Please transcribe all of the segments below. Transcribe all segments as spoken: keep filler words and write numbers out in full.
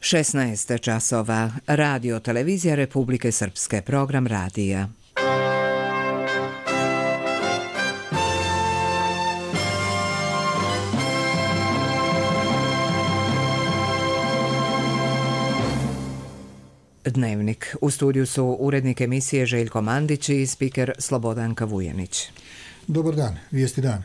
šesnaest časova. Radio Televizija Republike Srpske. Program radija. Dnevnik. U studiju su urednik emisije Željko Mandić i spiker Slobodanka Vujanić. Dobar dan, vijesti dan.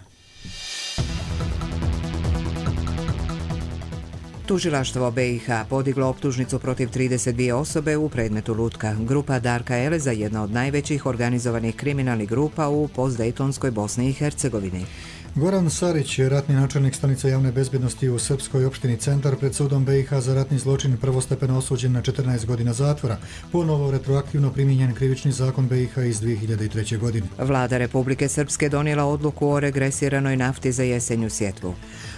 Tužilaštvo B i H podiglo optužnicu protiv trideset dvije osobe u predmetu Lutka. Grupa Darka Eleza, jedna od najvećih organizovanih kriminalnih grupa u postdejtonskoj Bosni i Hercegovini. Goran Sarić, ratni načelnik stanice javne bezbjednosti u srpskoj opštini Centar, pred sudom B i H za ratni zločin prvostepeno osuđen na četrnaest godina zatvora. Ponovo retroaktivno primijenjen krivični zakon B i H iz dvije hiljade treće. godine. Vlada Republike Srpske donijela odluku o regresiranoj nafti za jesenju sjetvu.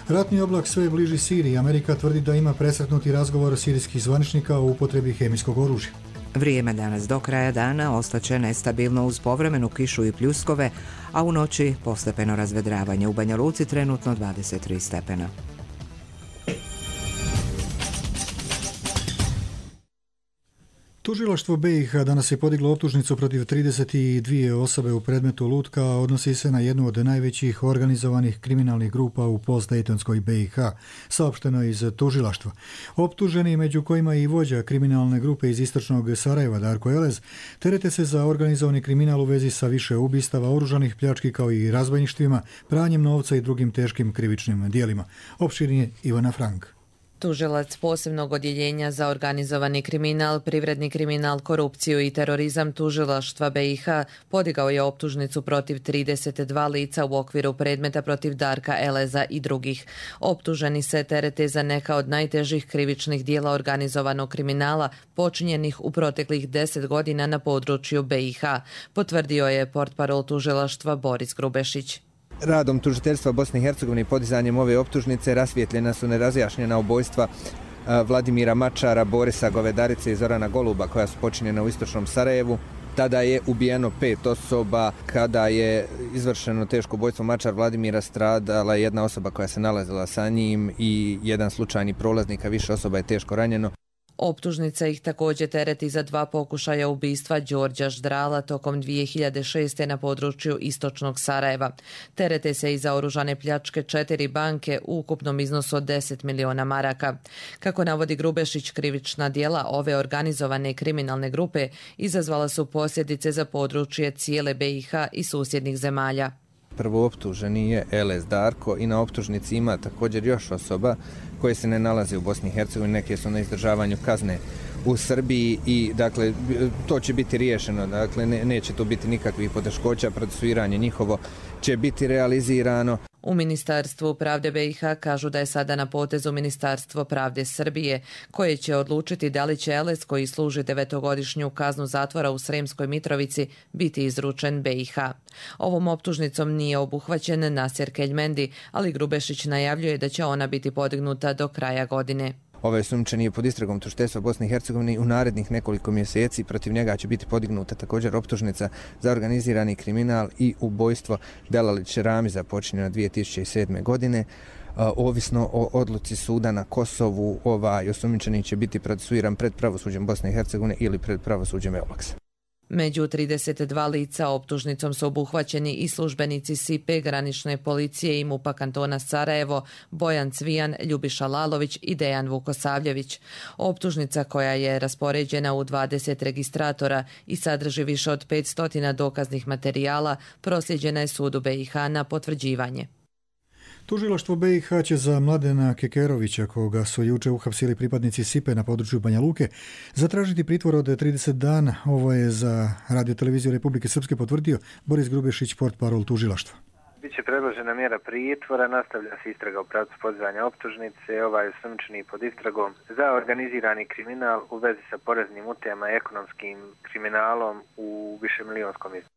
Ratni oblak sve bliži Siriji. Amerika tvrdi da ima presretnuti razgovor sirijskih zvaničnika o upotrebi hemijskog oružja. Vrijeme danas do kraja dana ostaće nestabilno uz povremenu kišu i pljuskove, a u noći postepeno razvedravanje. U Banja Luci trenutno dvadeset tri stepena. Tužilaštvo B i H danas je podiglo optužnicu protiv trideset dvije osobe u predmetu Lutka, a odnosi se na jednu od najvećih organizovanih kriminalnih grupa u postdejtonskoj B i H, saopšteno iz tužilaštva. Optuženi, među kojima i vođa kriminalne grupe iz istočnog Sarajeva Darko Elez, terete se za organizovani kriminal u vezi sa više ubistava, oružanih pljački kao i razbojništvima, pranjem novca i drugim teškim krivičnim dijelima. Opširnije Ivana Frank. Tužilac posebnog odjeljenja za organizovani kriminal, privredni kriminal, korupciju i terorizam tužilaštva B i H podigao je optužnicu protiv trideset dva lica u okviru predmeta protiv Darka Eleza i drugih. Optuženi se terete za neka od najtežih krivičnih dijela organizovanog kriminala počinjenih u proteklih deset godina na području B i H, potvrdio je portparol tužilaštva Boris Grubešić. Radom tužiteljstva Bosne i Hercegovine i podizanjem ove optužnice rasvijetljena su nerazjašnjena ubojstva Vladimira Mačara, Borisa Govedarice i Zorana Goluba koja su počinjena u istočnom Sarajevu. Tada je ubijeno pet osoba. Kada je izvršeno teško ubojstvo Mačar Vladimira, stradala jedna osoba koja se nalazila sa njim i jedan slučajni prolaznik, a više osoba je teško ranjeno. Optužnica ih također tereti za dva pokušaja ubistva Đorđa Ždrala tokom dvije hiljade šeste. na području istočnog Sarajeva. Terete se i za oružane pljačke četiri banke u ukupnom iznosu od deset miliona maraka. Kako navodi Grubešić, krivična djela ove organizovane kriminalne grupe izazvala su posljedice za područje cijele B i H i susjednih zemalja. Prvo optuženi je Elez Darko i na optužnici ima također još osoba koje se ne nalaze u Bosni i Hercegovini, neke su na izdržavanju kazne u Srbiji i dakle to će biti riješeno, dakle ne, neće tu biti nikakvih poteškoća, procesuiranje njihovo će biti realizirano. U Ministarstvu pravde B i H kažu da je sada na potezu Ministarstvo pravde Srbije, koje će odlučiti da li će Elez, koji služi devetogodišnju kaznu zatvora u Sremskoj Mitrovici, biti izručen B i H. Ovom optužnicom nije obuhvaćen Nasir Keljmendi, ali Grubešić najavljuje da će ona biti podignuta do kraja godine. Ovaj osumnjičeni je pod istragom tužiteljstva Bosne i Hercegovine i u narednih nekoliko mjeseci protiv njega će biti podignuta također optužnica za organizirani kriminal i ubojstvo Delalić Ramiza počinjeno dvije tisuće sedme. godine. Ovisno o odluci suda na Kosovu, ovaj osumnjičeni će biti procesuiran pred pravosuđem Bosne i Hercegovine ili pred pravosuđem Eulaksa. Među trideset dva lica optužnicom su obuhvaćeni i službenici S I P E, granične policije i MUP-a kantona Sarajevo, Bojan Cvijan, Ljubiša Lalović i Dejan Vukosavljević. Optužnica, koja je raspoređena u dvadeset registratora i sadrži više od petsto dokaznih materijala, prosljeđena je sudu B i H na potvrđivanje. Tužilaštvo B i H će za Mladena Kekerovića, koga su juče uhapsili pripadnici S I P E na području Banja Luke, zatražiti pritvor od trideset dana. Ovo je za Radio Televiziju Republike Srpske potvrdio Boris Grubešić, portparol tužilaštva. Biće predložena mjera pritvora, nastavlja se istraga u pravcu podizanja optužnice, ovaj osumnjičeni pod istragom za organizirani kriminal u vezi sa poreznim utajama i ekonomskim kriminalom u višemilijonskom iznosu.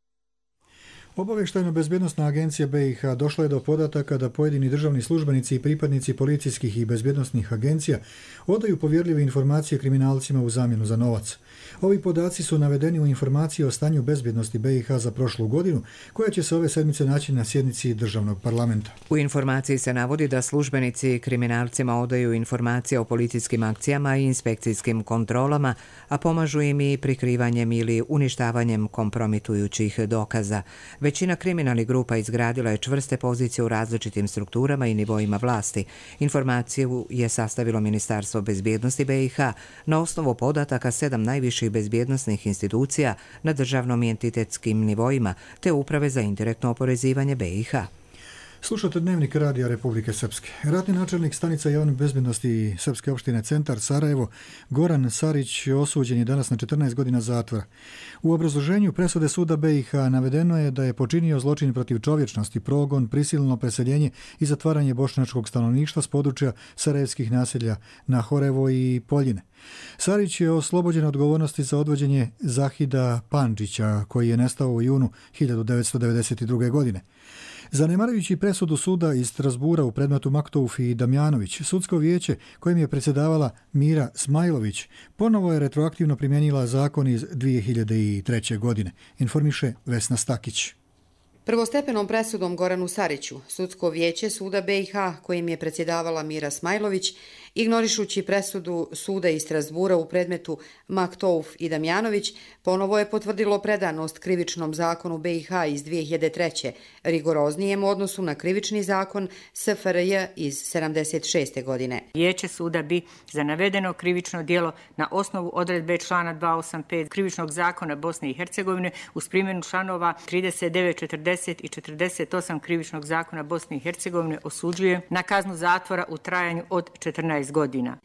Obavještajno-bezbjednosna agencija B i H došla je do podataka da pojedini državni službenici i pripadnici policijskih i bezbjednosnih agencija odaju povjerljive informacije kriminalcima u zamjenu za novac. Ovi podaci su navedeni u informaciji o stanju bezbjednosti B i H za prošlu godinu, koja će se ove sedmice naći na sjednici državnog parlamenta. U informaciji se navodi da službenici kriminalcima odaju informacije o policijskim akcijama i inspekcijskim kontrolama, a pomažu im i prikrivanjem ili uništavanjem kompromitujućih dokaza. Većina kriminalnih grupa izgradila je čvrste pozicije u različitim strukturama i nivoima vlasti. Informaciju je sastavilo Ministarstvo bezbjednosti B i H na osnovu podataka sedam najviših bezbjednosnih institucija na državnom i entitetskim nivoima te Uprave za indirektno oporezivanje B i H. Slušate Dnevnik Radija Republike Srpske. Ratni načelnik stanica javne bezbjednosti Srpske opštine Centar Sarajevo, Goran Sarić, osuđen je danas na četrnaest godina zatvora. U obrazloženju presude suda B i H navedeno je da je počinio zločin protiv čovječnosti, progon, prisilno preseljenje i zatvaranje bošnjačkog stanovništva s područja sarajevskih naselja Nahorevo i Poljine. Sarić je oslobođen odgovornosti za odvođenje Zahida Pandžića, koji je nestao u junu hiljadu devetsto devedeset druge. godine. Zanemarujući presudu suda iz Strasbura u predmetu Maktouf i Damjanović, sudsko vijeće kojim je predsjedavala Mira Smajlović ponovo je retroaktivno primjenila zakon iz dvije hiljade treće. godine, informiše Vesna Stakić. Prvostepenom presudom Goranu Sariću, sudsko vijeće suda B i H kojim je predsjedavala Mira Smajlović, ignorišući presudu suda iz Strasbura u predmetu Maktouf i Damjanović, ponovo je potvrdilo predanost krivičnom zakonu B i H iz dvije hiljade treće. rigoroznijem u odnosu na krivični zakon S F R J iz sedamdeset šeste. godine. Vijeće suda bi za navedeno krivično djelo na osnovu odredbe člana dvjesto osamdeset pet krivičnog zakona Bosne i Hercegovine uz primjenu članova trideset devet, četrdeset i četrdeset osam krivičnog zakona Bosne i Hercegovine osuđuje na kaznu zatvora u trajanju od četrnaest godina.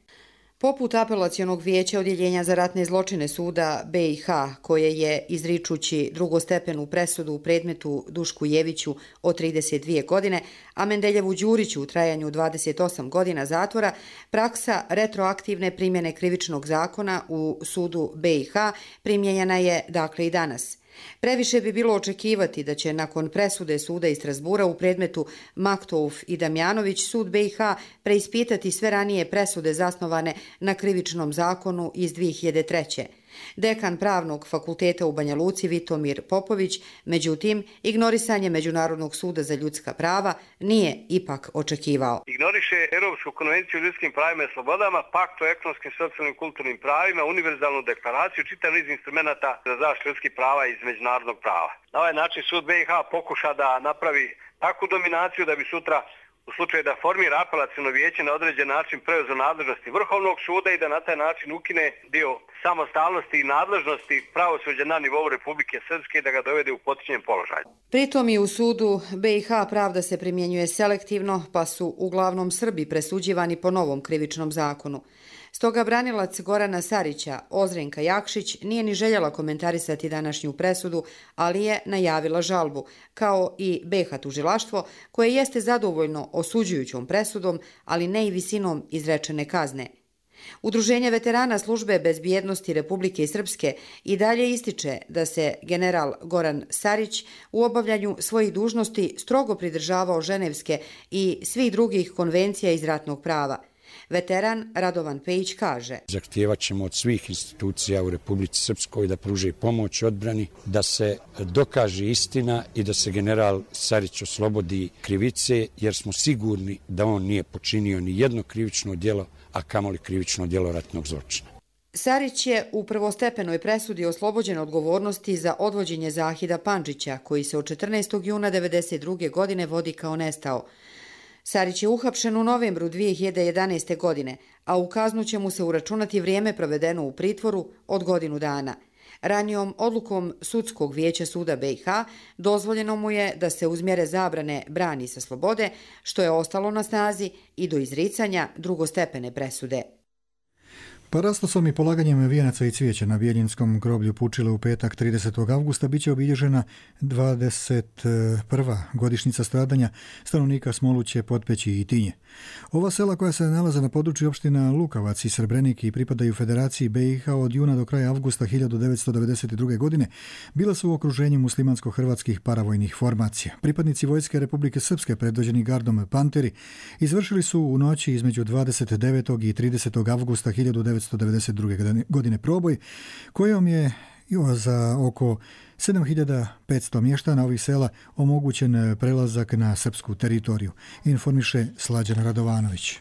Poput apelacionog vijeća odjeljenja za ratne zločine suda B i H, koje je, izričući drugostepenu presudu u predmetu Dušku Jeviću od trideset dvije godine, a Mendeljevu Đuriću u trajanju dvadeset osam godina zatvora, praksa retroaktivne primjene krivičnog zakona u sudu B i H primjenjena je dakle i danas. Previše bi bilo očekivati da će nakon presude suda iz Strasbura u predmetu Maktouf i Damjanović sud B i H preispitati sve ranije presude zasnovane na krivičnom zakonu iz dvije hiljade treće. Dekan Pravnog fakulteta u Banja Luci Vitomir Popović, međutim, ignorisanje Međunarodnog suda za ljudska prava nije ipak očekivao. Ignoriše Europsku konvenciju o ljudskim pravima i slobodama, pakt o ekonomskim, socijalnim i kulturnim pravima, univerzalnu deklaraciju, čitav niz instrumenta za zaštitu ljudskih prava iz međunarodnog prava. Na ovaj način sud B i H pokuša da napravi takvu dominaciju da bi sutra u slučaju da formira apelaciono vijeće na određen način preuzeo nadležnosti Vrhovnog suda i da na taj način ukine dio samostalnosti i nadležnosti pravosuđa na nivou Republike Srpske i da ga dovede u potčinjen položaj. Pritom i u sudu B i H pravda se primjenjuje selektivno, pa su uglavnom Srbi presuđivani po novom krivičnom zakonu. Stoga branilac Gorana Sarića, Ozrenka Jakšić, nije ni željela komentarisati današnju presudu, ali je najavila žalbu, kao i B H tužilaštvo, koje jeste zadovoljno osuđujućom presudom, ali ne i visinom izrečene kazne. Udruženje veterana službe bezbjednosti Republike Srpske i dalje ističe da se general Goran Sarić u obavljanju svojih dužnosti strogo pridržavao Ženevske i svih drugih konvencija iz ratnog prava. Veteran Radovan Pejić kaže: Zahtijevat ćemo od svih institucija u Republici Srpskoj da pruže pomoć odbrani, da se dokaže istina i da se general Sarić oslobodi krivice, jer smo sigurni da on nije počinio ni jedno krivično djelo, a kamoli krivično djelo ratnog zločina. Sarić je u prvostepenoj presudi oslobođen odgovornosti za odvođenje Zahida Pandžića, koji se od četrnaestog juna devedeset druge. godine vodi kao nestao. Sarić je uhapšen u novembru dvije hiljade jedanaeste. godine, a u kaznu će mu se uračunati vrijeme provedeno u pritvoru od godinu dana. Ranijom odlukom Sudskog vijeća suda B i H dozvoljeno mu je da se uz mjere zabrane brani sa slobode, što je ostalo na snazi i do izricanja drugostepene presude. Parastosom i polaganjem vijenaca i cvijeća na Bijeljinskom groblju Pučile u petak tridesetog avgusta biće obilježena dvadeset prva godišnjica stradanja stanovnika Smoluće, Potpeći i Tinje. Ova sela koja se nalaze na području opština Lukavac i Srebrenik i pripadaju Federaciji B i H od juna do kraja avgusta hiljadu devetsto devedeset druge. godine bila su u okruženju muslimansko-hrvatskih paravojnih formacija. Pripadnici Vojske Republike Srpske predvođeni gardom Panteri izvršili su u noći između dvadeset devetog i tridesetog avgusta hiljadu devetsto devedeset druge. godine proboj kojom je za oko sedam hiljada petsto mještana ovih sela omogućen prelazak na srpsku teritoriju, informiše Slađan Radovanović.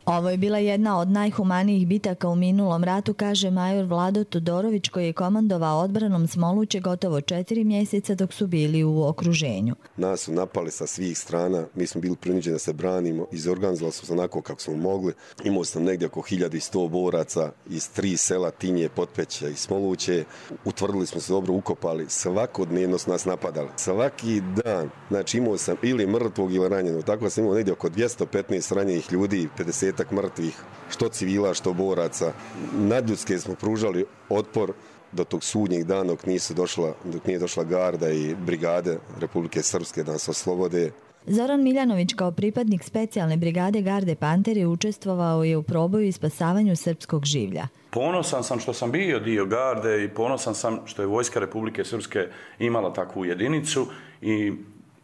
Ovo je bila jedna od najhumanijih bitaka u minulom ratu, kaže major Vlado Todorović, koji je komandovao odbranom Smoluće gotovo četiri mjeseca dok su bili u okruženju. Nas su napali sa svih strana, mi smo bili prinuđeni da se branimo, izorganizovali smo se onako kako smo mogli. Imao sam negdje oko hiljadu sto boraca iz tri sela, Tinje, Potpeća i Smoluće. Utvrdili smo se dobro, ukopali, svakodnevno su nas napadali. Svaki dan, znači imao sam ili mrtvog ili ranjenog, tako sam imao negdje oko dvjesto petnaest ranjenih ljudi, pedeset mrtvih, što civila, što boraca. Nadljudske smo pružali otpor do tog sudnjeg dana dok, nisu došla, dok nije došla garda i brigade Republike Srpske da nas oslobode. Zoran Miljanović kao pripadnik specijalne brigade garde Panteri učestvovao je u proboju i spasavanju srpskog življa. Ponosan sam što sam bio dio garde i ponosan sam što je Vojska Republike Srpske imala takvu jedinicu i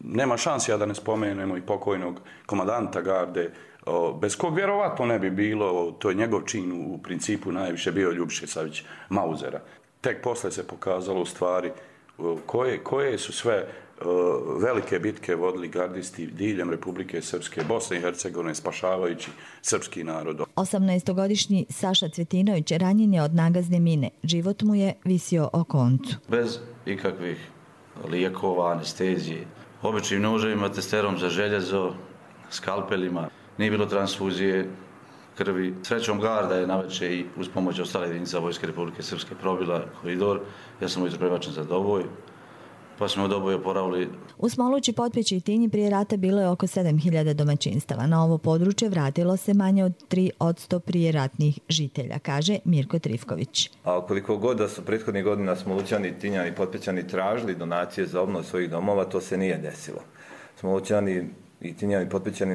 nema šansi ja da ne spomenemo i pokojnog komandanta garde, bez kog vjerovatno ne bi bilo, to je njegov čin u principu najviše bio Ljubiša Savić Mauzera. Tek posle se pokazalo u stvari koje, koje su sve velike bitke vodili gardisti diljem Republike Srpske, Bosne i Hercegovine, spašavajući srpski narod. osamnaestogodišnji Saša Cvetinović ranjen je od nagazne mine. Život mu je visio o koncu. Bez ikakvih lijekova, anestezije, običnim noževima, testerom za željezo, skalpelima. Nije bilo transfuzije krvi. Srećom garda je navečer i uz pomoć ostale jedinica Vojske Republike Srpske probila koridor. Ja sam ujutro prebačen za Doboj, pa smo u Doboj oporavili. U Smolući, Potpeći i Tinji prije rata bilo je oko sedam hiljada domaćinstava. Na ovo područje vratilo se manje od tri posto prije ratnih žitelja, kaže Mirko Trifković. A koliko god da su prethodnih godina Smolućani, Tinjani i Potpećani tražili donacije za obnovu svojih domova, to se nije desilo. Smolućani i Tinjani i Potpećani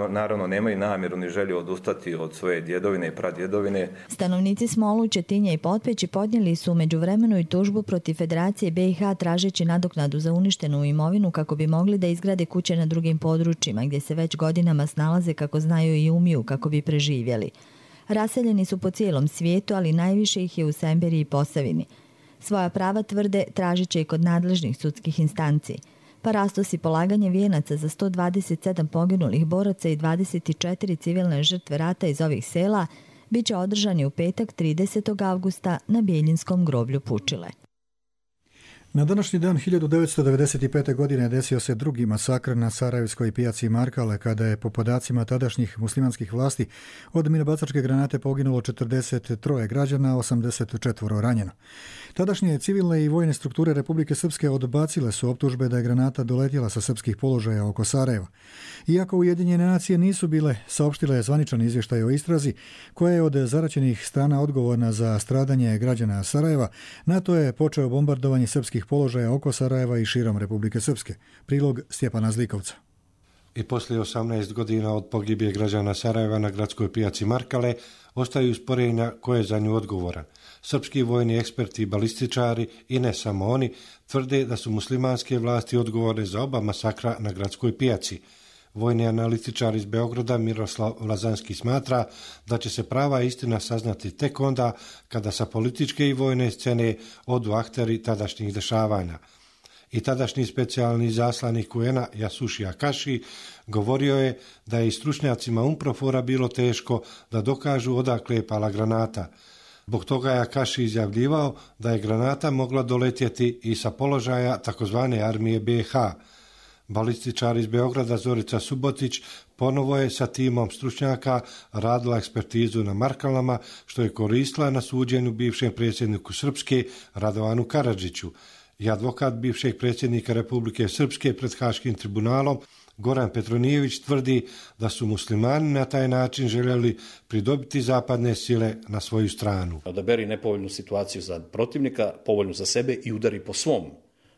naravno nemaju namjeru ni želju odustati od svoje djedovine i pradjedovine. Stanovnici Smoluće, Tinje i Potpeći podnijeli su u međuvremenu i tužbu protiv Federacije B i H tražeći nadoknadu za uništenu imovinu kako bi mogli da izgrade kuće na drugim područjima gdje se već godinama snalaze kako znaju i umiju kako bi preživjeli. Raseljeni su po cijelom svijetu, ali najviše ih je u Semberiji i Posavini. Svoja prava tvrde tražit će i kod nadležnih sudskih instanci. Parastos i polaganje vijenaca za sto dvadeset sedam poginulih boraca i dvadeset četiri civilne žrtve rata iz ovih sela bit će održani u petak tridesetog avgusta na Bijeljinskom groblju Pučile. Na današnji dan hiljadu devetsto devedeset pete. godine desio se drugi masakr na sarajevskoj pijaci Markale, kada je po podacima tadašnjih muslimanskih vlasti od minobacačke granate poginulo četrdeset tri građana, osamdeset četiri ranjeno. Tadašnje civilne i vojne strukture Republike Srpske odbacile su optužbe da je granata doletjela sa srpskih položaja oko Sarajeva. Iako Ujedinjene nacije nisu bile saopštile zvaničan izvještaj o istrazi, koja je od zaraćenih strana odgovorna za stradanje građana Sarajeva, NATO je počeo bombardovanje srpskih položaja oko Sarajeva i širom Republike Srpske. Prilog Stjepana Zlikovca. I poslije osamnaest godina od pogibije građana Sarajeva na gradskoj pijaci Markale ostaju sporenja ko je za nju odgovoran. Srpski vojni eksperti i balističari, i ne samo oni, tvrde da su muslimanske vlasti odgovorne za oba masakra na gradskoj pijaci. Vojni analitičar iz Beograda Miroslav Lazanski smatra da će se prava istina saznati tek onda kada sa političke i vojne scene odu akteri tadašnjih dešavanja. I tadašnji specijalni zaslanik U N A Yasushi Akashi govorio je da je i stručnjacima UNPROFOR-a bilo teško da dokažu odakle je pala granata. Zbog toga je Akashi izjavljivao da je granata mogla doletjeti i sa položaja takozvane armije B i H. Balističar iz Beograda Zorica Subotić ponovo je sa timom stručnjaka radila ekspertizu na Markalama, što je koristila na suđenju bivšem predsjedniku Srpske Radovanu Karadžiću. I advokat bivšeg predsjednika Republike Srpske pred Haškim tribunalom Goran Petronijević tvrdi da su muslimani na taj način željeli pridobiti zapadne sile na svoju stranu. Odaberi nepovoljnu situaciju za protivnika, povoljnu za sebe i udari po svom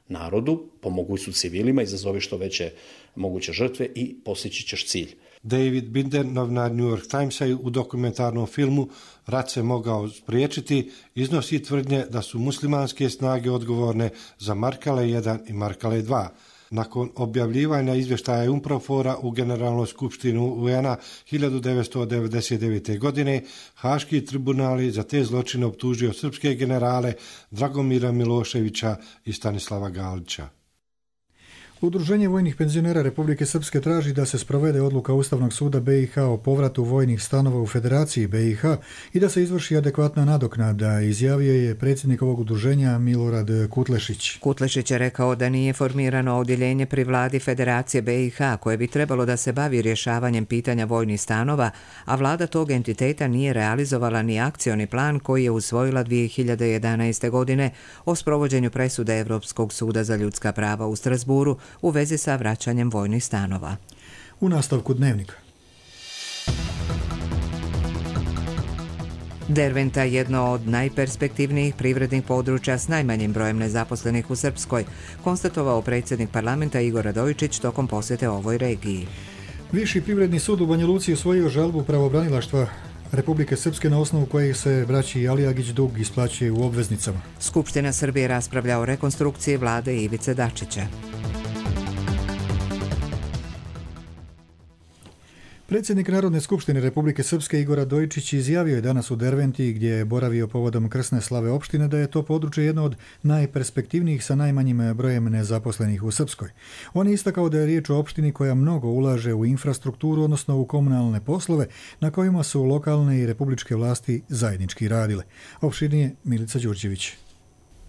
narodu, pomogu su civilima, izazove što veće moguće žrtve i postići ćeš cilj. David Binder, novinar New York Timesa, u dokumentarnom filmu Rat se mogao spriječiti, iznosi tvrdnje da su muslimanske snage odgovorne za Markale jedan i Markale dva. Nakon objavljivanja izvještaja UNPROFOR-a u Generalnoj skupštini U N-a hiljadu devetsto devedeset devete. godine, Haški tribunali za te zločine optužio srpske generale Dragomira Miloševića i Stanislava Galića. Udruženje vojnih penzionera Republike Srpske traži da se sprovede odluka Ustavnog suda B i H o povratu vojnih stanova u Federaciji B i H i da se izvrši adekvatna nadoknada, izjavio je predsjednik ovog udruženja Milorad Kutlešić. Kutlešić je rekao da nije formirano odjeljenje pri vladi Federacije B i H koje bi trebalo da se bavi rješavanjem pitanja vojnih stanova, a vlada tog entiteta nije realizovala ni akcioni plan koji je usvojila dvije hiljade jedanaeste. godine o sprovođenju presude Europskog suda za ljudska prava u Strasburu u vezi sa vraćanjem vojnih stanova. U nastavku dnevnika. Derventa je jedno od najperspektivnijih privrednih područja s najmanjim brojem nezaposlenih u Srpskoj, konstatovao predsjednik parlamenta Igor Radojičić tokom posjete ovoj regiji. Viši privredni sud u Banja Luci usvojio žalbu pravobranilaštva Republike Srpske na osnovu kojih se braći Alijagić dug isplaćuje u obveznicama. Skupština Srbije raspravlja o rekonstrukciji vlade Ivice Dačića. Predsjednik Narodne skupštine Republike Srpske Igor Radojičić izjavio je danas u Derventi, gdje je boravio povodom krsne slave opštine, da je to područje jedno od najperspektivnijih sa najmanjim brojem nezaposlenih u Srpskoj. On je istakao da je riječ o opštini koja mnogo ulaže u infrastrukturu, odnosno u komunalne poslove, na kojima su lokalne i republičke vlasti zajednički radile. Opširnije Milica Đurđević.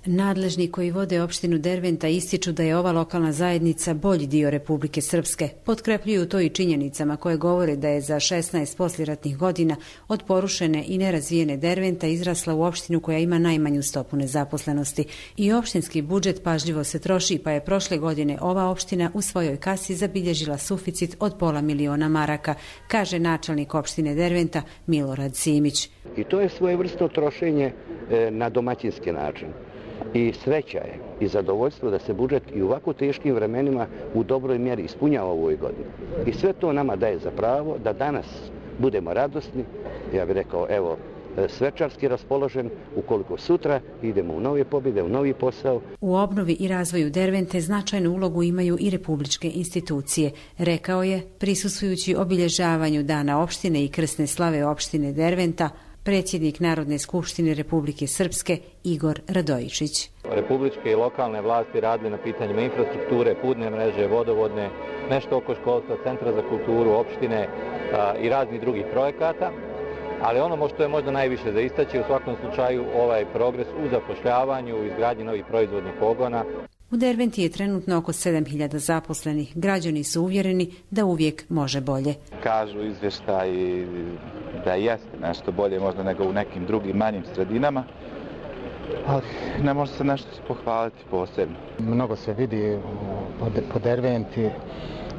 Nadležni koji vode opštinu Derventa ističu da je ova lokalna zajednica bolji dio Republike Srpske. Potkrepljuju to i činjenicama koje govore da je za šesnaest posljeratnih godina od porušene i nerazvijene Derventa izrasla u opštinu koja ima najmanju stopu nezaposlenosti. I opštinski budžet pažljivo se troši, pa je prošle godine ova opština u svojoj kasi zabilježila suficit od pola miliona maraka, kaže načelnik opštine Derventa Milorad Simić. I to je svojevrsno trošenje na domaćinski način. I sreća je i zadovoljstvo da se budžet i u ovako teškim vremenima u dobroj mjeri ispunjava u ovoj godini. I sve to nama daje za pravo da danas budemo radosni, ja bih rekao, evo, svečarski raspoložen, ukoliko sutra idemo u nove pobjede, u novi posao. U obnovi i razvoju Dervente značajnu ulogu imaju i republičke institucije, rekao je, prisustvujući obilježavanju Dana opštine i krsne slave opštine Derventa, predsjednik Narodne skupštine Republike Srpske Igor Radojičić. Republičke i lokalne vlasti radili na pitanjima infrastrukture, putne mreže, vodovodne, nešto oko školstva, centra za kulturu, opštine a, i raznih drugih projekata. Ali ono što je možda najviše za istaći u svakom slučaju ovaj progres u zapošljavanju, u izgradnji novih proizvodnih pogona. U Derventi je trenutno oko sedam hiljada zaposlenih. Građani su uvjereni da uvijek može bolje. Kažu izvještaji da jeste nešto bolje možda nego u nekim drugim manjim sredinama, ali ne može se nešto pohvaliti posebno. Mnogo se vidi po Derventi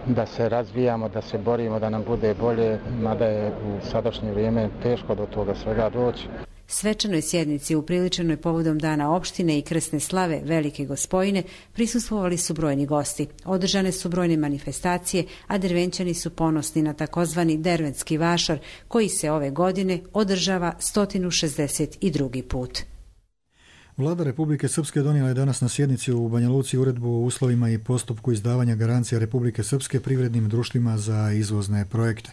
da se razvijamo, da se borimo, da nam bude bolje, mada je u sadašnje vrijeme teško do toga svega doći. Svečanoj sjednici upriličenoj povodom Dana opštine i krsne slave Velike Gospojine prisustvovali su brojni gosti. Održane su brojne manifestacije, a Dervenčani su ponosni na takozvani Derventski vašar, koji se ove godine održava sto šezdeset drugi put. Vlada Republike Srpske donijela je danas na sjednici u Banja Luci uredbu o uslovima i postupku izdavanja garancija Republike Srpske privrednim društvima za izvozne projekte.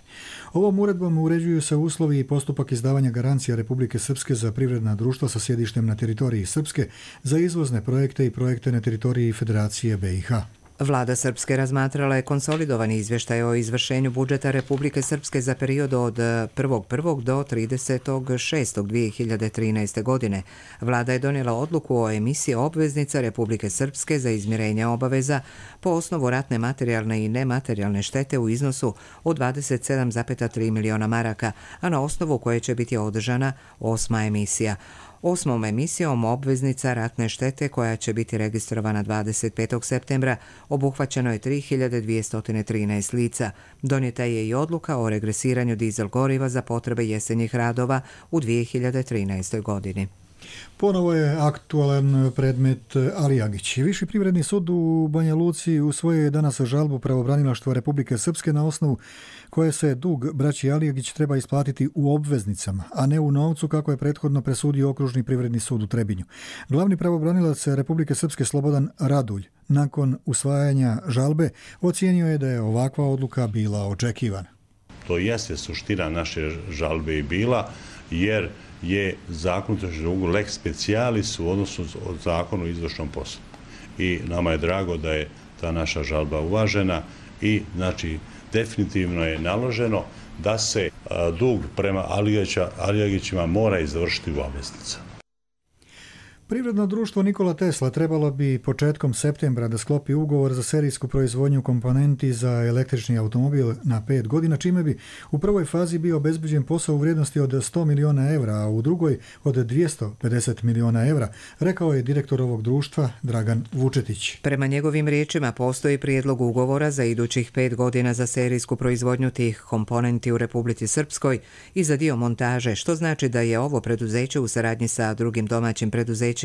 Ovom uredbom uređuju se uslovi i postupak izdavanja garancija Republike Srpske za privredna društva sa sjedištem na teritoriji Srpske za izvozne projekte i projekte na teritoriji Federacije B i H. Vlada Srpske razmatrala je konsolidovani izvještaj o izvršenju budžeta Republike Srpske za period od prvog prvog do tridesetog šestog dvije hiljade trinaeste. godine. Vlada je donijela odluku o emisiji obveznica Republike Srpske za izmirenje obaveza po osnovu ratne materijalne i nematerijalne štete u iznosu od dvadeset sedam zarez tri miliona maraka, a na osnovu koje će biti održana osma emisija. Osmom emisijom obveznica ratne štete koja će biti registrovana dvadeset petog septembra obuhvaćeno je tri hiljade dvjesto trinaest lica. Donijeta je i odluka o regresiranju dizel goriva za potrebe jesenjih radova u dvije hiljade trinaestoj godini. Ponovo je aktualan predmet Ali Agić. Viši privredni sud u Banja Luci usvojio je danas žalbu pravobranilaštva Republike Srpske na osnovu koje se dug braći Alijagić treba isplatiti u obveznicama, a ne u novcu kako je prethodno presudio Okružni privredni sud u Trebinju. Glavni pravobranilac Republike Srpske Slobodan Radulj nakon usvajanja žalbe ocijenio je da je ovakva odluka bila očekivana. To jeste suština naše žalbe i bila, jer je zakon o dugu lex specialis u odnosu od zakonu o izvršnom poslu. I nama je drago da je ta naša žalba uvažena i znači definitivno je naloženo da se dug prema Alijagićima mora izvršiti u obveznicama. Privredno društvo Nikola Tesla trebalo bi početkom septembra da sklopi ugovor za serijsku proizvodnju komponenti za električni automobil na pet godina, čime bi u prvoj fazi bio obezbeđen posao u vrijednosti od sto miliona evra, a u drugoj od dvjesto pedeset miliona evra, rekao je direktor ovog društva Dragan Vučetić. Prema njegovim riječima postoji prijedlog ugovora za idućih pet godina za serijsku proizvodnju tih komponenti u Republici Srpskoj i za dio montaže, što znači da je ovo preduzeće u saradnji sa drugim domaćim preduzećima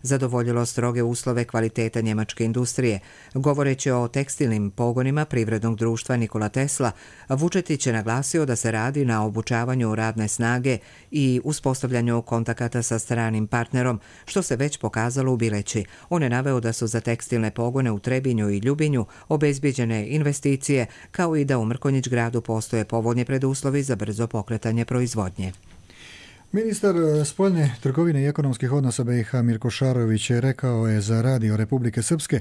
zadovoljilo stroge uslove kvaliteta njemačke industrije. Govoreći o tekstilnim pogonima privrednog društva Nikola Tesla, Vučetić je naglasio da se radi na obučavanju radne snage i uspostavljanju kontakata sa stranim partnerom, što se već pokazalo u Bileći. On je naveo da su za tekstilne pogone u Trebinju i Ljubinju obezbijeđene investicije, kao i da u Mrkonjić gradu postoje povoljni preduslovi za brzo pokretanje proizvodnje. Ministar spoljne trgovine i ekonomskih odnosa B i H Mirko Šarović rekao je za Radio Republike Srpske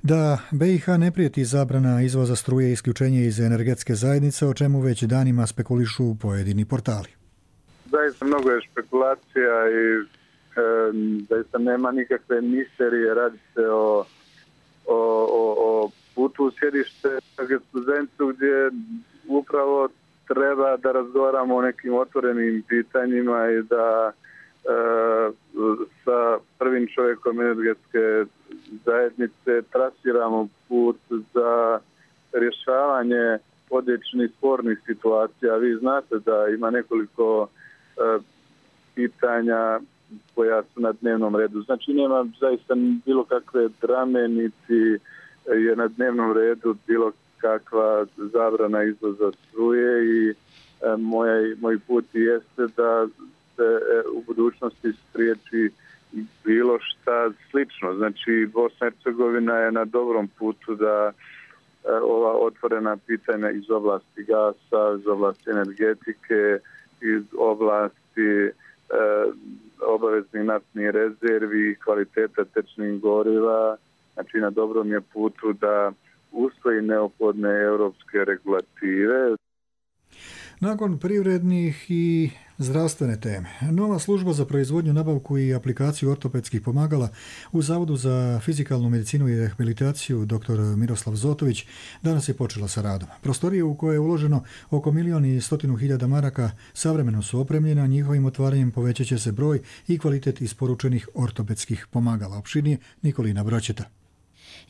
da B i H ne prijeti zabrana izvoza struje i isključenje iz energetske zajednice, o čemu već danima spekulišu pojedini portali. Zaista mnogo je špekulacija i e, zaista nema nikakve misterije, radi se o, o, o, o putu u sjedište studentu gdje upravo treba da razgovaramo o nekim otvorenim pitanjima i da e, sa prvim čovjekom energetske zajednice trasiramo put za rješavanje određenih spornih situacija. Vi znate da ima nekoliko e, pitanja koja su na dnevnom redu. Znači nema zaista bilo kakve drame, niti je na dnevnom redu bilo kakva zabrana izvoza struje i e, moj, moj put jeste da se e, u budućnosti spriječi bilo šta slično. Znači Bosna i Hercegovina je na dobrom putu da e, ova otvorena pitanja iz oblasti gasa, iz oblasti energetike, iz oblasti e, obaveznih naftnih rezervi, kvaliteta tečnih goriva, znači na dobrom je putu da usvoji neophodne europske regulative. Nakon privrednih i zdravstvene teme, nova služba za proizvodnju, nabavku i aplikaciju ortopedskih pomagala u Zavodu za fizikalnu medicinu i rehabilitaciju dr. Miroslav Zotović danas je počela sa radom. Prostorije u koje je uloženo oko milijon i stotinu hiljada maraka savremeno su opremljena, njihovim otvaranjem povećat će se broj i kvalitet isporučenih ortopedskih pomagala. Opširnije Nikolina Broćeta.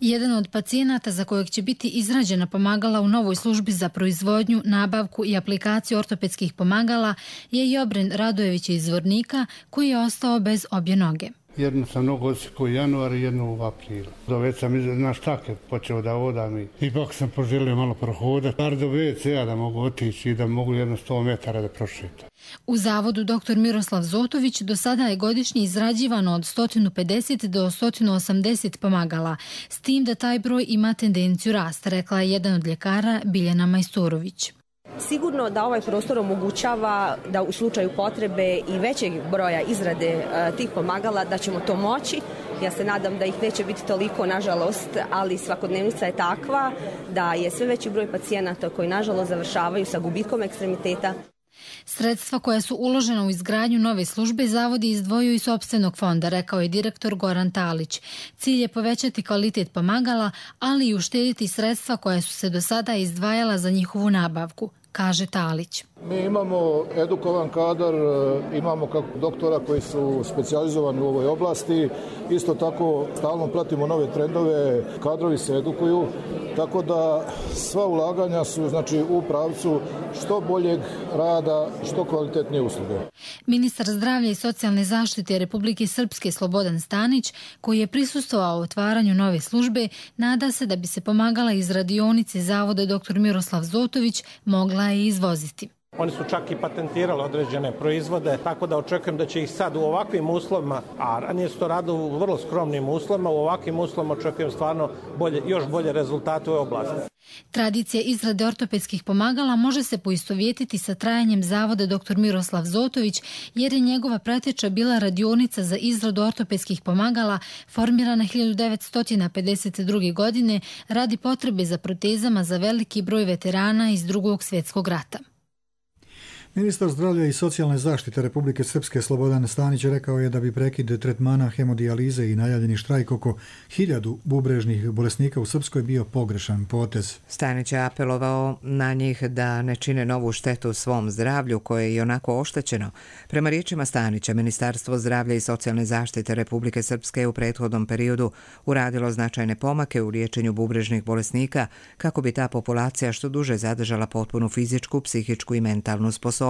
Jedan od pacijenata za kojeg će biti izrađena pomagala u novoj službi za proizvodnju, nabavku i aplikaciju ortopedskih pomagala je Jobren Radojević iz Zvornika, koji je ostao bez obje noge. Jednu sam nogu odsjekao u januar i jednu u aprilu. Već sam na štake počeo da odam i ipak sam poželio malo prohodati. Bar do ve ce-a da mogu otići i da mogu jedno sto metara da prošetam. U Zavodu dr. Miroslav Zotović do sada je godišnje izrađivano od sto pedeset do sto osamdeset pomagala, s tim da taj broj ima tendenciju rasta, rekla je jedan od ljekara Biljana Majstorović. Sigurno da ovaj prostor omogućava da u slučaju potrebe i većeg broja izrade uh, tih pomagala da ćemo to moći. Ja se nadam da ih neće biti toliko, nažalost, ali svakodnevnica je takva da je sve veći broj pacijenata koji nažalost završavaju sa gubitkom ekstremiteta. Sredstva koja su uložena u izgradnju nove službe Zavod je izdvojio iz sopstvenog fonda, rekao je direktor Goran Talić. Cilj je povećati kvalitet pomagala, ali i uštediti sredstva koja su se do sada izdvajala za njihovu nabavku. kaže Talić. Mi imamo edukovan kadar, imamo kako doktora koji su specijalizovani u ovoj oblasti. Isto tako stalno pratimo nove trendove, kadrovi se edukuju, tako da sva ulaganja su znači u pravcu što boljeg rada, što kvalitetnije usluge. Ministar zdravlja i socijalne zaštite Republike Srpske Slobodan Stanić, koji je prisustvovao otvaranju nove službe, nada se da bi se pomagala iz radionice Zavoda doktor Miroslav Zotović mogla je izvoziti. Oni su čak i patentirali određene proizvode, tako da očekujem da će ih sad u ovakvim uslovima, a ranije su to radili u vrlo skromnim uslovima, u ovakvim uslovima očekujem stvarno bolje, još bolje rezultate u ovoj oblasti. Tradicija izrade ortopedskih pomagala može se poistovjetiti sa trajanjem Zavoda doktor Miroslav Zotović, jer je njegova preteča bila radionica za izradu ortopedskih pomagala formirana hiljadu devetsto pedeset druge. godine radi potrebe za protezama za veliki broj veterana iz Drugog svjetskog rata. Ministar zdravlja i socijalne zaštite Republike Srpske Slobodan Stanić rekao je da bi prekid tretmana hemodijalize i najavljeni štrajk oko hiljadu bubrežnih bolesnika u Srpskoj bio pogrešan potez. Stanić je apelovao na njih da ne čine novu štetu svom zdravlju koje je i onako oštećeno. Prema riječima Stanića, Ministarstvo zdravlja i socijalne zaštite Republike Srpske u prethodnom periodu uradilo značajne pomake u liječenju bubrežnih bolesnika kako bi ta populacija što duže zadržala potpunu fizičku, psihičku i mentalnu sposobnost.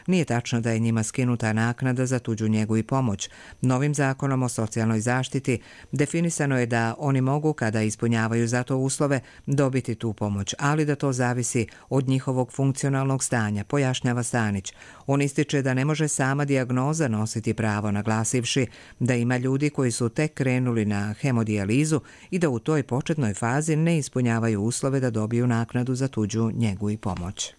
Nije tačno da je njima skinuta naknada za tuđu njegu i pomoć. Novim zakonom o socijalnoj zaštiti definisano je da oni mogu, kada ispunjavaju za to uslove, dobiti tu pomoć, ali da to zavisi od njihovog funkcionalnog stanja, pojašnjava Stanić. On ističe da ne može sama dijagnoza nositi pravo, naglasivši da ima ljudi koji su tek krenuli na hemodijalizu i da u toj početnoj fazi ne ispunjavaju uslove da dobiju naknadu za tuđu njegu i pomoć.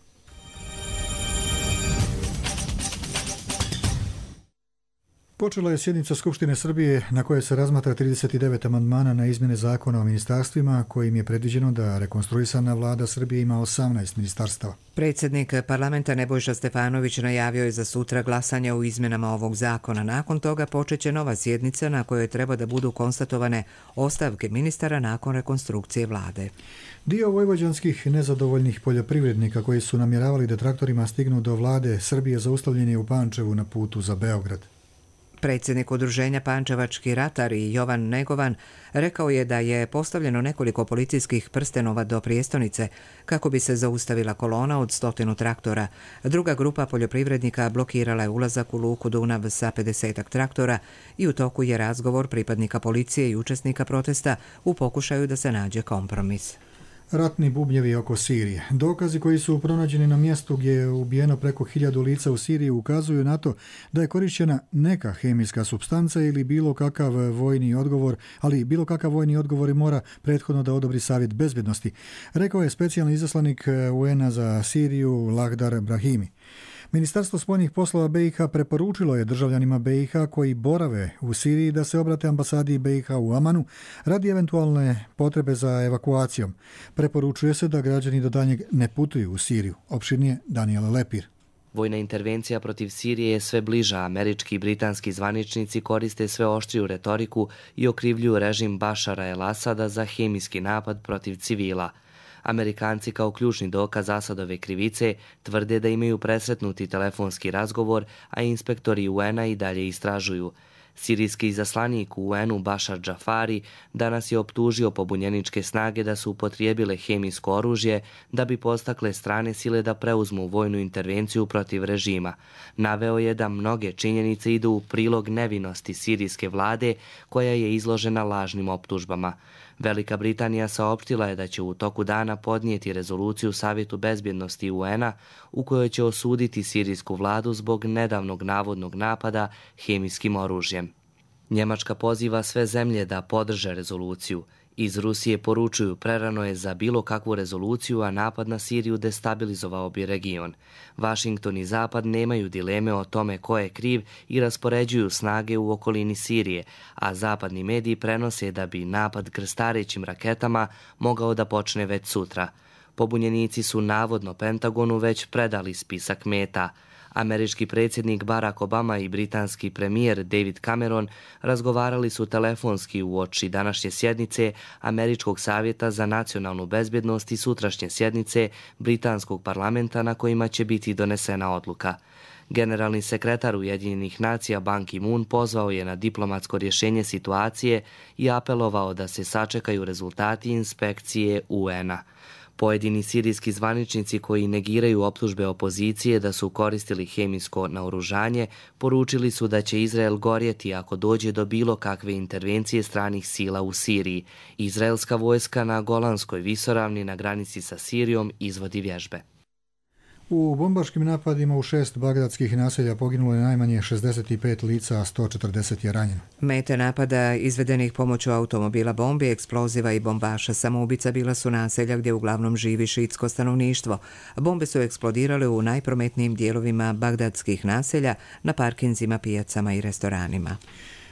Počela je sjednica Skupštine Srbije na kojoj se razmatra trideset devet amandmana na izmjene zakona o ministarstvima, kojim je predviđeno da rekonstruisana vlada Srbije ima osamnaest ministarstava. Predsjednik parlamenta Nebojša Stefanović najavio je za sutra glasanje u izmjenama ovog zakona. Nakon toga počeće nova sjednica na kojoj treba da budu konstatovane ostavke ministara nakon rekonstrukcije vlade. Dio vojvođanskih nezadovoljnih poljoprivrednika koji su namjeravali da traktorima stignu do vlade Srbije zaustavljen je u Pančevu na putu za Beograd. Predsjednik udruženja Pančevački ratari Jovan Negovan rekao je da je postavljeno nekoliko policijskih prstenova do prijestolnice kako bi se zaustavila kolona od stotinu traktora. Druga grupa poljoprivrednika blokirala je ulazak u luku Dunav sa pedesetak traktora i u toku je razgovor pripadnika policije i učesnika protesta u pokušaju da se nađe kompromis. Ratni bubnjevi oko Sirije. Dokazi koji su pronađeni na mjestu gdje je ubijeno preko hiljadu lica u Siriji ukazuju na to da je korišćena neka hemijska supstanca ili bilo kakav vojni odgovor, ali bilo kakav vojni odgovor mora prethodno da odobri Savjet bezbjednosti, rekao je specijalni izaslanik U N-a za Siriju Lahdar Brahimi. Ministarstvo spoljnih poslova B i H preporučilo je državljanima B i H koji borave u Siriji da se obrate ambasadi B i H u Amanu radi eventualne potrebe za evakuacijom. Preporučuje se da građani do daljnjeg ne putuju u Siriju. Opširnije Daniela Lepir. Vojna intervencija protiv Sirije je sve bliža. Američki i britanski zvaničnici koriste sve oštriju retoriku i okrivljuju režim Bašara el-Asada za hemijski napad protiv civila. Amerikanci kao ključni dokaz Asadove krivice tvrde da imaju presretnuti telefonski razgovor, a inspektori U N-a i dalje istražuju. Sirijski izaslanik u U N-u Bašar Džafari danas je optužio pobunjeničke snage da su upotrijebile hemijsko oružje da bi postakle strane sile da preuzmu vojnu intervenciju protiv režima. Naveo je da mnoge činjenice idu u prilog nevinosti sirijske vlade koja je izložena lažnim optužbama. Velika Britanija saopštila je da će u toku dana podnijeti rezoluciju Savjetu bezbjednosti U N-a u kojoj će osuditi sirijsku vladu zbog nedavnog navodnog napada hemijskim oružjem. Njemačka poziva sve zemlje da podrže rezoluciju. Iz Rusije poručuju prerano je za bilo kakvu rezoluciju, a napad na Siriju destabilizovao bi region. Vašington i Zapad nemaju dileme o tome ko je kriv i raspoređuju snage u okolini Sirije, a zapadni mediji prenose da bi napad krstarećim raketama mogao da počne već sutra. Pobunjenici su navodno Pentagonu već predali spisak meta. Američki predsjednik Barack Obama i britanski premijer David Cameron razgovarali su telefonski uoči današnje sjednice Američkog savjeta za nacionalnu bezbjednost i sutrašnje sjednice britanskog parlamenta na kojima će biti donesena odluka. Generalni sekretar Ujedinjenih nacija Ban Ki-moon pozvao je na diplomatsko rješenje situacije i apelovao da se sačekaju rezultati inspekcije U N-a. Pojedini sirijski zvaničnici koji negiraju optužbe opozicije da su koristili hemijsko naoružanje poručili su da će Izrael gorjeti ako dođe do bilo kakve intervencije stranih sila u Siriji. Izraelska vojska na Golanskoj visoravni na granici sa Sirijom izvodi vježbe. U bombaškim napadima u šest bagdadskih naselja poginulo je najmanje šezdeset pet lica, a sto četrdeset je ranjeno. Mete napada izvedenih pomoću automobila, bombi, eksploziva i bombaša samoubica bila su naselja gdje uglavnom živi šiitsko stanovništvo. Bombe su eksplodirale u najprometnijim dijelovima bagdadskih naselja, na parkinzima, pijacama i restoranima.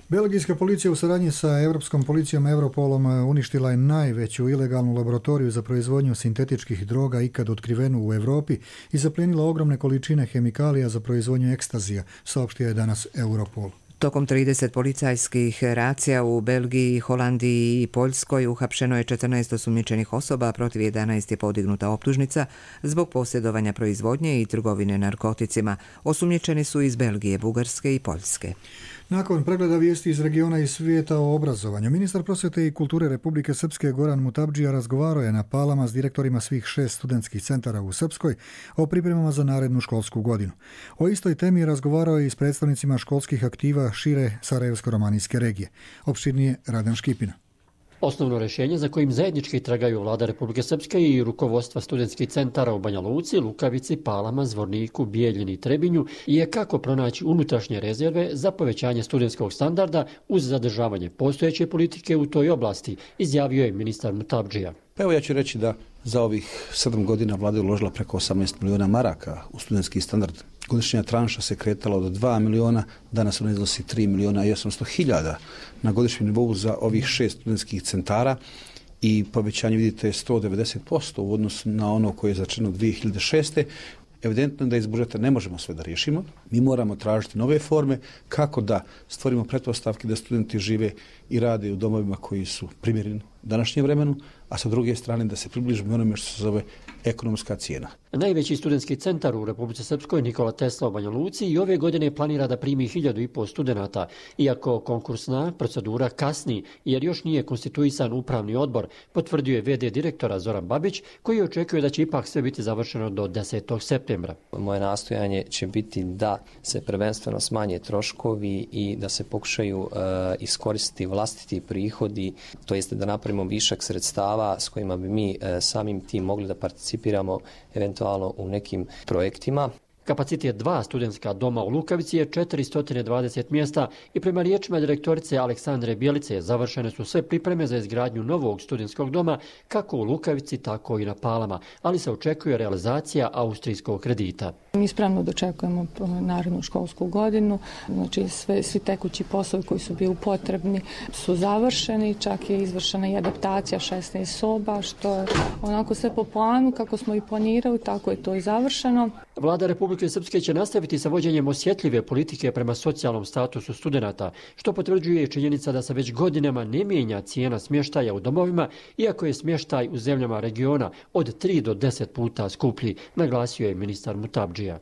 Belgijska policija u saradnji sa Europskom policijom Europolom uništila je najveću ilegalnu laboratoriju za proizvodnju sintetičkih droga ikad otkrivenu u Europi i zaplijenila ogromne količine hemikalija za proizvodnju ekstazija, saopštio je danas Europol. Tokom trideset policajskih racija u Belgiji, Holandiji i Poljskoj uhapšeno je četrnaest osumnjičenih osoba, protiv jedanaest je podignuta optužnica zbog posjedovanja proizvodnje i trgovine narkoticima. Osumnjičeni su iz Belgije, Bugarske i Poljske. Nakon pregleda vijesti iz regiona i svijeta o obrazovanju, ministar prosvjete i kulture Republike Srpske Goran Mutabdžija razgovarao je na Palama s direktorima svih šest studentskih centara u Srpskoj o pripremama za narednu školsku godinu. O istoj temi razgovarao je i s predstavnicima školskih aktiva šire Sarajevsko-romanijske regije. Opširnije Radan Škipina. Osnovno rješenje za kojim zajednički tragaju vlada Republike Srpske i rukovodstva studentskih centara u Banja Luci, Lukavici, Palama, Zvorniku, Bijeljini i Trebinju je kako pronaći unutrašnje rezerve za povećanje studentskog standarda uz zadržavanje postojeće politike u toj oblasti, izjavio je ministar Mutabdžija. Pa evo ja ću reći da za ovih sedam godina vlada je uložila preko osamnaest miliona maraka u studentski standard. Godišnja tranša se kretala od dva miliona, danas ona iznosi tri miliona i osamsto hiljada na godišnjem nivou za ovih šest studentskih centara i povećanje, vidite, je sto devedeset posto u odnosu na ono koje je začinjeno dvije hiljade šeste. Evidentno je da iz budžeta ne možemo sve da riješimo. Mi moramo tražiti nove forme kako da stvorimo pretpostavke da studenti žive i rade u domovima koji su primjereni današnjem vremenu, a sa druge strane da se približimo onome što se zove ekonomska cijena. Najveći studentski centar u Republici Srpskoj, Nikola Tesla u Banja Luci, i ove godine planira da primi hiljadu i pol studenata, iako konkursna procedura kasni jer još nije konstituisan upravni odbor, potvrdio je ve de direktora Zoran Babić, koji očekuje da će ipak sve biti završeno do desetog septembra. Moje nastojanje će biti da se prvenstveno smanje troškovi i da se pokušaju uh, iskoristiti vlastiti prihodi, to jeste da napravimo višak sredstava s kojima bi mi uh, samim tim mogli da participiramo eventualno u nekim projektima. Kapacitet dva studentska doma u Lukavici je četiristo dvadeset mjesta i prema riječima direktorice Aleksandre Bjelice završene su sve pripreme za izgradnju novog studentskog doma kako u Lukavici, tako i na Palama, ali se očekuje realizacija austrijskog kredita. Mi spremno dočekujemo narednu školsku godinu, znači sve, svi tekući poslovi koji su bili potrebni su završeni, čak je izvršena i adaptacija šesnaest soba, što je onako sve po planu kako smo i planirali, tako je to i završeno. Vlada Republike Srpske će nastaviti sa vođenjem osjetljive politike prema socijalnom statusu studenata, što potvrđuje i činjenica da se već godinama ne mijenja cijena smještaja u domovima, iako je smještaj u zemljama regiona od tri do deset puta skuplji, naglasio je ministar Mutabdžija.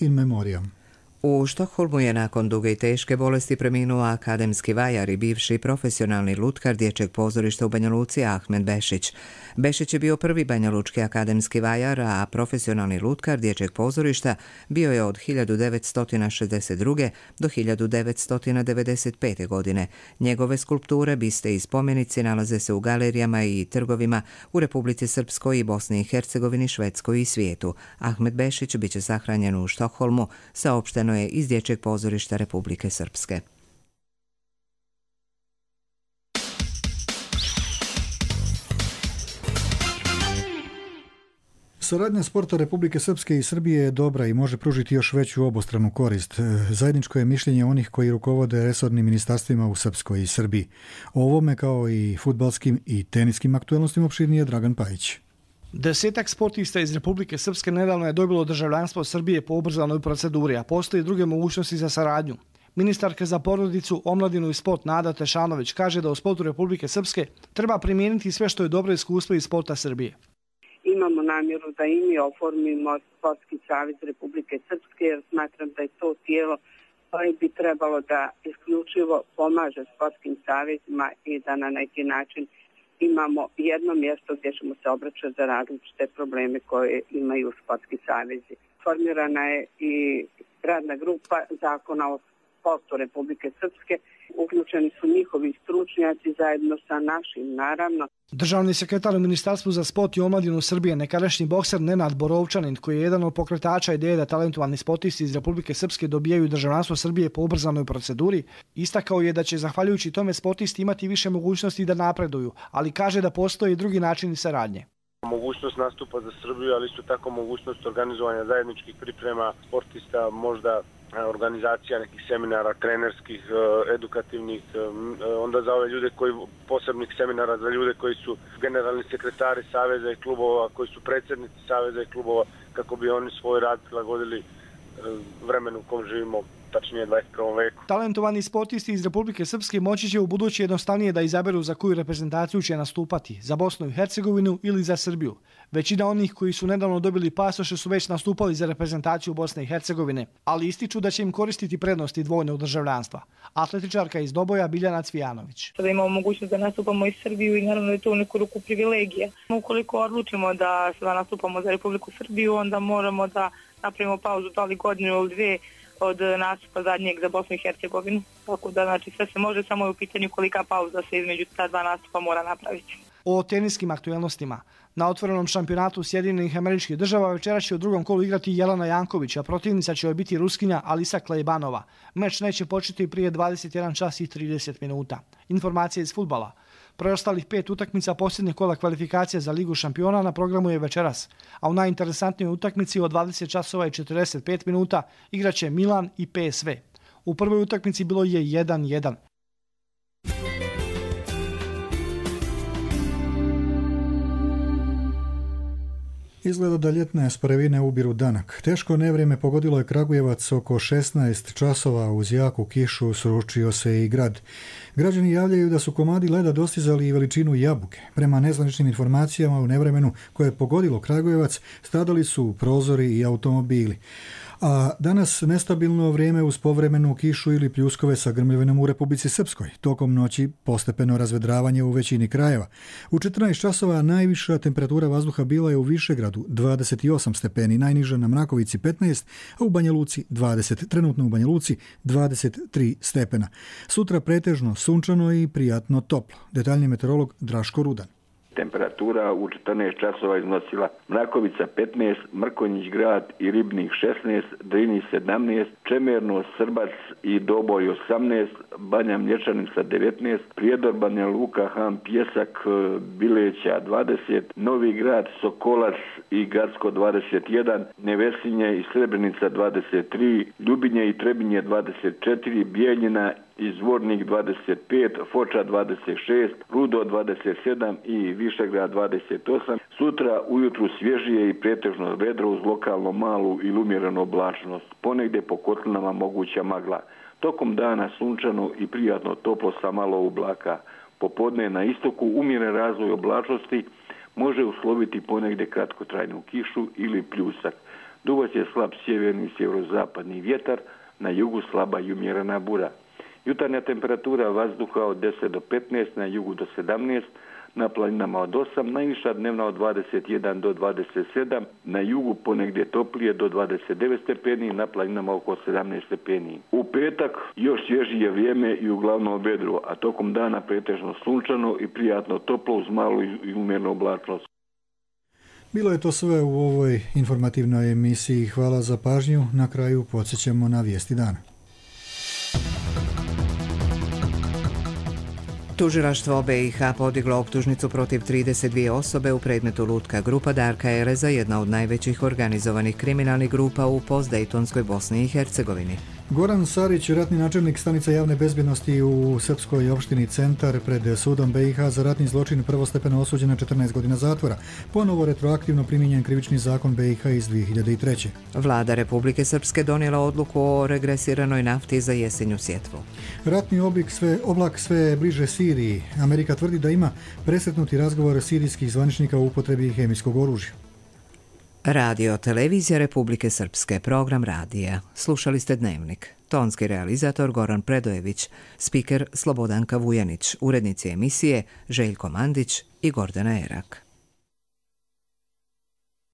In memoriam. U Štokholmu je nakon duge i teške bolesti preminuo akademski vajar i bivši profesionalni lutkar dječjeg pozorišta u Banja Luci Ahmed Bešić. Bešić je bio prvi banjalučki akademski vajar, a profesionalni lutkar dječjeg pozorišta bio je od hiljadu devetsto šezdeset druge. do hiljadu devetsto devedeset pete. godine. Njegove skulpture, biste i spomenici nalaze se u galerijama i trgovima u Republici Srpskoj i Bosni i Hercegovini, Švedskoj i svijetu. Ahmed Bešić biće sahranjen u Štokholmu, saopšteno je iz dječjeg pozorišta Republike Srpske. Saradnja sporta Republike Srpske i Srbije je dobra i može pružiti još veću obostranu korist. Zajedničko je mišljenje onih koji rukovode resornim ministarstvima u Srpskoj i Srbiji. O ovome, kao i fudbalskim i teniskim aktuelnostima, opširnije Dragan Pajić. Desetak sportista iz Republike Srpske nedavno je dobilo državljanstvo Srbije po ubrzanoj proceduri, a postoje druge mogućnosti za saradnju. Ministarka za porodicu, omladinu i sport Nada Tešanović kaže da u sportu Republike Srpske treba primijeniti sve što je dobro iskustvo iz sporta Srbije. Imamo namjeru da i mi oformimo Sportski savez Republike Srpske, jer smatram da je to tijelo koje bi trebalo da isključivo pomaže sportskim savezima i da na neki način imamo jedno mjesto gdje ćemo se obraćati za različite probleme koje imaju sportski savezi. Formirana je i radna grupa zakona o sportu Republike Srpske. Uključeni su njihovi stručnjaci zajedno sa našim, naravno. Državni sekretar u Ministarstvu za sport i omladinu Srbije, nekadašnji bokser Nenad Borovčanin, koji je jedan od pokretača ideje da talentovani sportisti iz Republike Srpske dobijaju državljanstvo Srbije po ubrzanoj proceduri, istakao je da će zahvaljujući tome sportisti imati više mogućnosti da napreduju, ali kaže da postoje i drugi načini saradnje. Mogućnost nastupa za Srbiju, ali isto tako mogućnost organizovanja zajedničkih priprema sportista, možda organizacija nekih seminara, trenerskih, edukativnih, onda za ove ljude koji, posebnih seminara za ljude koji su generalni sekretari saveza i klubova, koji su predsjednici saveza i klubova, kako bi oni svoj rad prilagodili vremenu u kom živimo, tačnije dvadeset prvom veku. Talentovani sportisti iz Republike Srpske moći će u budući jednostavnije da izaberu za koju reprezentaciju će nastupati, za Bosnu i Hercegovinu ili za Srbiju. Većina onih koji su nedavno dobili pasoše su već nastupali za reprezentaciju Bosne i Hercegovine, ali ističu da će im koristiti prednosti dvojnog državljanstva. Atletičarka iz Doboja Biljana Cvijanović. Sada imamo mogućnost da nastupamo i Srbiju i naravno je to u neku ruku privilegija. Ukoliko odlučimo da sada nastupamo za Republiku Srbiju, onda moramo da napravimo pauzu da li godinu ili dve od nastupa zadnjeg za Bosnu i Hercegovinu. Tako da znači sve se može, samo je u pitanju kolika pauza se između ta dva nastupa mora napraviti. O teniskim aktuelnostima. Na otvorenom šampionatu Sjedinjenih Američkih Država večera će u drugom kolu igrati Jelena Janković, a protivnica će joj biti Ruskinja Alisa Klejbanova. Meč neće početi prije dvadeset jedan čas i trideset minuta. Informacije iz fudbala. Preostalih pet utakmica posljednjeg kola kvalifikacije za Ligu šampiona na programu je večeras, a u najinteresantnijoj utakmici od dvadeset časova i četrdeset pet minuta igraće Milan i P S V. U prvoj utakmici bilo je jedan jedan. Izgleda da ljetne sprevine ubiru danak. Teško nevrijeme pogodilo je Kragujevac oko šesnaest časova, uz jaku kišu sručio se i grad. Građani javljaju da su komadi leda dostizali i veličinu jabuke. Prema nezvaničnim informacijama u nevremenu koje je pogodilo Kragujevac stradali su prozori i automobili. A danas nestabilno vrijeme uz povremenu kišu ili pljuskove sa grmljavinom u Republici Srpskoj. Tokom noći postepeno razvedravanje u većini krajeva. U četrnaest časova najviša temperatura vazduha bila je u Višegradu dvadeset osam stepeni, najniža na Mrakovici petnaest, a u Banja Luci dvadeset. Trenutno u Banja Luci dvadeset tri stepena. Sutra pretežno sunčano i prijatno toplo. Detaljni meteorolog Draško Rudan. Temperatura u četrnaest časova iznosila Mrakovica petnaest, Mrkonjić grad i Ribnik šesnaest, Drini sedamnaest, Čemerno, Srbac i Doboj osamnaest, Banja Mlječanica devetnaest, Prijedor, Banja Luka, Han, Pjesak, Bileća dvadeset, Novi grad, Sokolac i Gacko dvadeset jedan, Nevesinje i Srebrenica dvadeset tri, Ljubinje i Trebinje dvadeset četiri, Bijeljina i Zvornik dvadeset pet, Foča dvadeset šest, Rudo dvadeset sedam i Višegrad dvadeset osam. Sutra ujutru svježije i pretežno vedro uz lokalno malu ili umjerenu oblačnost. Ponegdje po kotlinama moguća magla. Tokom dana sunčano i prijatno toplo sa malo oblaka. Popodne na istoku umjeren razvoj oblačnosti može usloviti ponegdje kratkotrajnu kišu ili pljusak. Duvac je slab sjeverni i sjeverozapadni vjetar, na jugu slaba i umjerena bura. Jutarnja temperatura vazduha od deset do petnaest, na jugu do sedamnaest, na planinama od osam, najviša dnevna od dvadeset jedan do dvadeset sedam, na jugu ponegdje toplije do dvadeset devet stepeni, na planinama oko sedamnaest stepeni. U petak još svježije vrijeme i uglavnom vedro, a tokom dana pretežno sunčano i prijatno toplo uz malu i umjernu oblačnost. Bilo je to sve u ovoj informativnoj emisiji. Hvala za pažnju. Na kraju podsjećamo na vijesti dana. Tužilaštvo B i H podiglo optužnicu protiv trideset dvije osobe u predmetu Lutka grupa Darka Ereza, jedna od najvećih organizovanih kriminalnih grupa u postdejtonskoj Bosni i Hercegovini. Goran Sarić, ratni načelnik stanica javne bezbjednosti u srpskoj opštini Centar, pred sudom B i H za ratni zločin prvostepeno osuđen na četrnaest godina zatvora. Ponovo retroaktivno primijenjen krivični zakon B i H iz dvije hiljade treće. Vlada Republike Srpske donijela odluku o regresiranoj nafti za jesenju sjetvu. Ratni oblik sve, oblak sve bliže Siriji. Amerika tvrdi da ima presretnuti razgovor sirijskih zvaničnika u upotrebi hemijskog oružja. Radio Televizija Republike Srpske, program radija. Slušali ste Dnevnik. Tonski realizator Goran Predojević, spiker Slobodanka Vujanić, urednici emisije Željko Mandić i Gordana Erak.